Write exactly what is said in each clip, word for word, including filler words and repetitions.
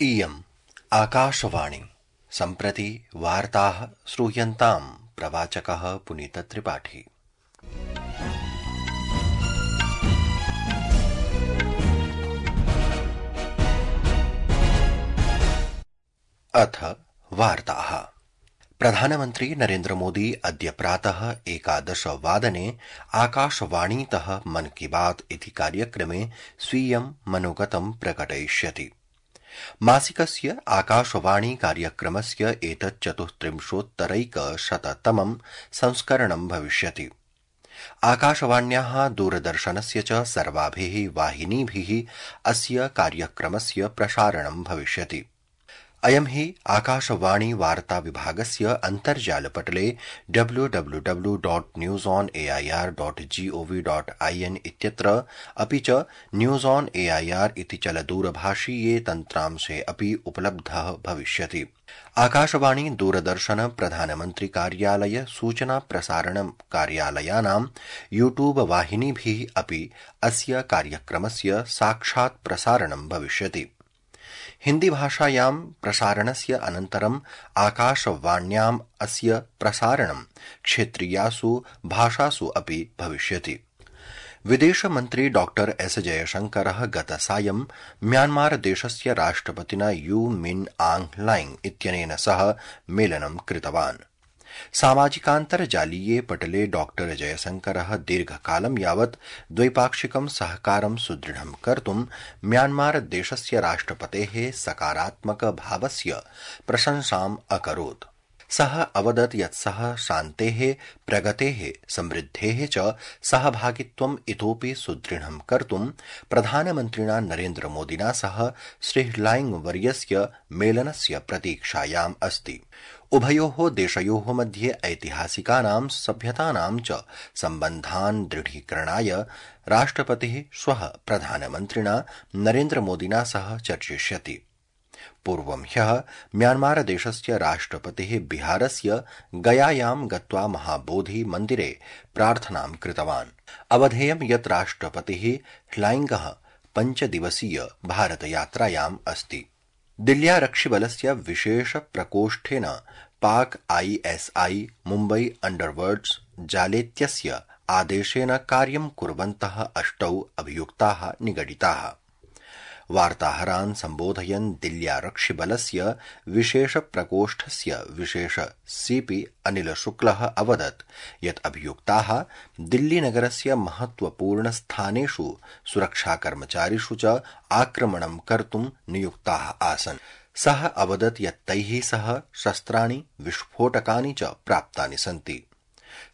इयम् आकाशवाणी सम्प्रति वार्ताः श्रूयन्ताम् प्रवाचकः पुनीतत्रिपाठी। अथ वार्ताः। प्रधानमन्त्री नरेन्द्र मोदी अद्य प्रातः एकादश वादने आकाशवाणीतः मन की बात इति कार्यक्रमे स्वीयं मनोगतं प्रकटयिष्यति। मासिकस्य आकाशवाणी कार्यक्रमस्य एतत् चतुस्त्रिंशोत्तरैकशततमं संस्करणं भविष्यति। आकाशवाण्याः दूरदर्शनस्य च सर्वाभिः वाहिनीभिः अस्य कार्यक्रमस्य प्रसारणं भविष्यति। अयं हि आकाशवाणी वार्ता विभागस्य अन्तर्जालपटले W W W dot news on AIR dot gov dot IN इत्यत्र अपि च न्यूज ऑन एआईआर इति चलदूरभाषीये तन्त्रांशे अपि उपलब्धः भविष्यति। आकाशवाणी दूरदर्शन प्रधानमन्त्री कार्यालय सूचना प्रसारण कार्यालयानां यूट्यूब वाहिनीभिः अपि अस्य कार्यक्रमस्य साक्षात् प्रसारणं भविष्यति। हिन्दी भाषायां प्रसारणस्य अनन्तरं आकाशवाण्याम् अस्य प्रसारणं क्षेत्रीयासु भाषासु अपि भविष्यति। विदेशमन्त्री डॉक्टर एस जयशंकरः गतसायं म्यांमार देशस्य राष्ट्रपतिना यू मिन आंग लाइंग इत्यनेन सह मेलनं कृतवान्। सामाजिकान्तर्जालीये पटले डॉक्टर जयशंकरः दीर्घकालं यावत् द्वैपाक्षिकं सहकारं सुदृढं कर्तुं म्यांमार देशस्य राष्ट्रपतेः सकारात्मक भावस्य प्रशंसाम् अकरोत्। सः अवदत् यत् सः शान्तेः, प्रगतेः, समृद्धेः च सहभागित्वम् इतोपि सुदृढं कर्तुं प्रधानमन्त्रिणा नरेन्द्र मोदिना सह श्री लाइंग वर्यस्य मेलनस्य प्रतीक्षायाम् अस्ति। उभयोः देशयोः मध्ये ऐतिहासिकानां सभ्यतानां च सम्बन्धान् दृढीकरणाय राष्ट्रपतिः श्वः प्रधानमन्त्रिणा नरेन्द्र मोदिना सह चर्चिष्यति। पूर्वं ह्यः म्यांमार देशस्य राष्ट्रपतिः बिहारस्य गयायां गत्वा महाबोधि मन्दिरे प्रार्थनां कृतवान्। अवधेयं यत् राष्ट्रपतिः ह्लाइंगः पञ्चदिवसीय भारतयात्रायाम् अस्ति। दिल्ल्यारक्षिबलस्य विशेष प्रकोष्ठेन पाक आईएसआई मुम्बई अंडरवर्ल्ड्स जालेत्यस्य आदेशेन कार्यं कुर्वन्तः अष्टौ अभियुक्ताः निगडिताः। वार्ताहरान् सम्बोधयन् दिल्ल्यारक्षिबलस्य विशेष प्रकोष्ठस्य विशेष सीपी अनिल शुक्लः अवदत् यत् अभियुक्ताः दिल्लीनगरस्य महत्वपूर्ण स्थानेषु सुरक्षाकर्मचारिषु च आक्रमणं कर्तुं नियुक्ताः आसन्। सः अवदत् यत् तैः सह शस्त्राणि, विस्फोटकानि च प्राप्तानि सन्ति।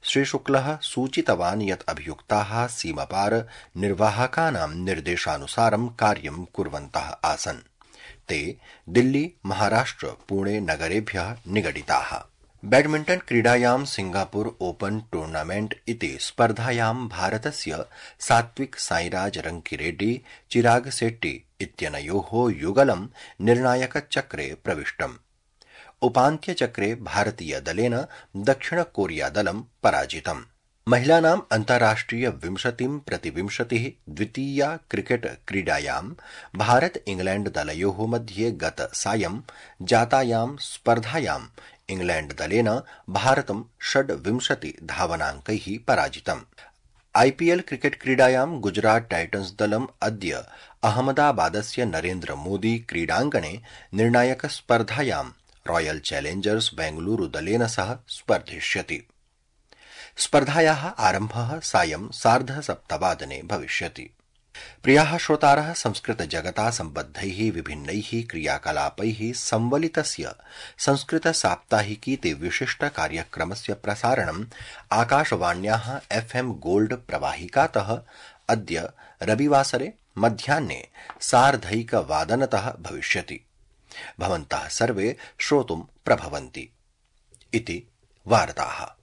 श्रीशुक्लः सूचितवान् यत् अभियुक्ताः सीमापार निर्वाहकानां निर्देशानुसारं कार्यं कुर्वन्तः आसन्। ते दिल्ली, महाराष्ट्र, पुणे नगरेभ्यः निगडिताः। बैडमिण्टन क्रीडायां सिंगापुर ओपन टूर्नामेंट इति स्पर्धायां भारतस्य सात्विक साईराज रंकीरेड्डी, चिराग शेट्टी इत्यनयोः युगलं निर्णायकचक्रे प्रविष्टम्। उपान्त्यचक्रे भारतीयदलेन दक्षिणकोरियादलं पराजितम्। महिलानाम् अन्ताराष्ट्रिय विंशतिं प्रतिविंशतिः द्वितीया क्रिकेट क्रीडायां भारत इंग्लैंड दलयोः मध्ये गत सायं जातायां स्पर्धायां इंग्लैंड दलेन भारतं षड्विंशति धावनाङ्कैः पराजितम्। आईपीएल क्रिकेट क्रीडायां गुजरात टाइटन्स दलम् अद्य अहमदाबादस्य नरेन्द्र मोदी क्रीडाङ्गणे निर्णायक स्पर्धायां रॉयल चैलेंजर्स बेंगलुरु दलेन सह स्पर्धिष्यति। स्पर्धायाः आरम्भः सायं सार्धसप्तवादने भविष्यति। प्रियाः श्रोतारः, संस्कृत जगता सम्बद्धैः विभिन्नैः क्रियाकलापैः संवलितस्य संस्कृत साप्ताहिकीति विशिष्ट कार्यक्रमस्य प्रसारणम् आकाशवाण्याः एफएम गोल्ड प्रवाहिकातः अद्य रविवासरे मध्याह्ने सार्धैकवादनतः भविष्यति। भवन्तः सर्वे श्रोतुं प्रभवन्ति। इति वार्ताः।